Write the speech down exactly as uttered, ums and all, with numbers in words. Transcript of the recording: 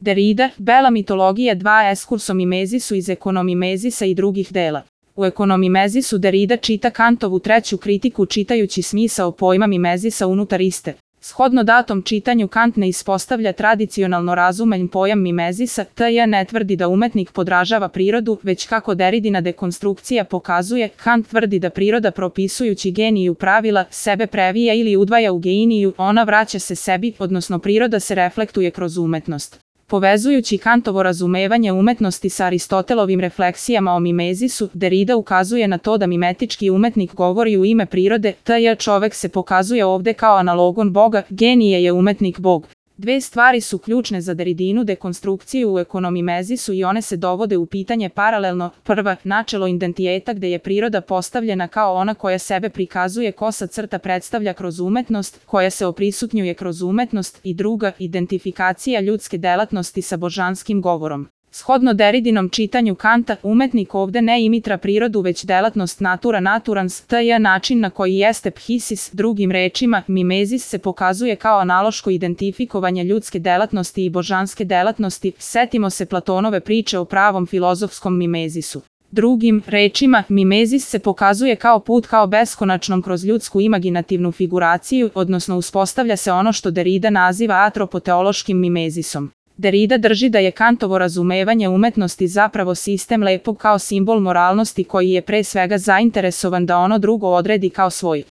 Derrida, Bela mitologija dva eskurso mimezisu iz ekonomimezisa i drugih dela. U ekonomimezisu Derrida čita Kantovu treću kritiku čitajući smisao pojma mimezisa unutar iste. Shodno datom čitanju Kant ne ispostavlja tradicionalno razumen pojam mimezisa, tj. ne tvrdi da umetnik podražava prirodu, već kako Derridina dekonstrukcija pokazuje, Kant tvrdi da priroda propisujući geniju pravila, sebe previja ili udvaja u geniju, ona vraća se sebi, odnosno priroda se reflektuje kroz umetnost. Povezujući Kantovo razumevanje umetnosti sa Aristotelovim refleksijama o mimezisu, Derrida ukazuje na to da mimetički umetnik govori u ime prirode, tj. čovek se pokazuje ovde kao analogon Boga, genije je umetnik Bog. Dve stvari su ključne za Derridinu dekonstrukciju u ekonomimezisu i one se dovode u pitanje paralelno. Prva, načelo identiteta gde je priroda postavljena kao ona koja sebe prikazuje, kosa crta predstavlja kroz umetnost, koja se oprisutnjuje kroz umetnost, i druga, identifikacija ljudske delatnosti sa božanskim govorom. Shodno Derridinom čitanju Kanta, umetnik ovde ne imitra prirodu već delatnost natura naturans, tj. način na koji jeste phisis, drugim rečima, mimezis se pokazuje kao analoško identifikovanje ljudske delatnosti i božanske delatnosti, setimo se Platonove priče o pravom filozofskom mimezisu. Drugim rečima, mimezis se pokazuje kao put kao beskonačnom kroz ljudsku imaginativnu figuraciju, odnosno uspostavlja se ono što Derrida naziva atropoteološkim mimezisom. Derrida drži da je Kantovo razumevanje umetnosti zapravo sistem lepog kao simbol moralnosti koji je pre svega zainteresovan da ono drugo odredi kao svoj.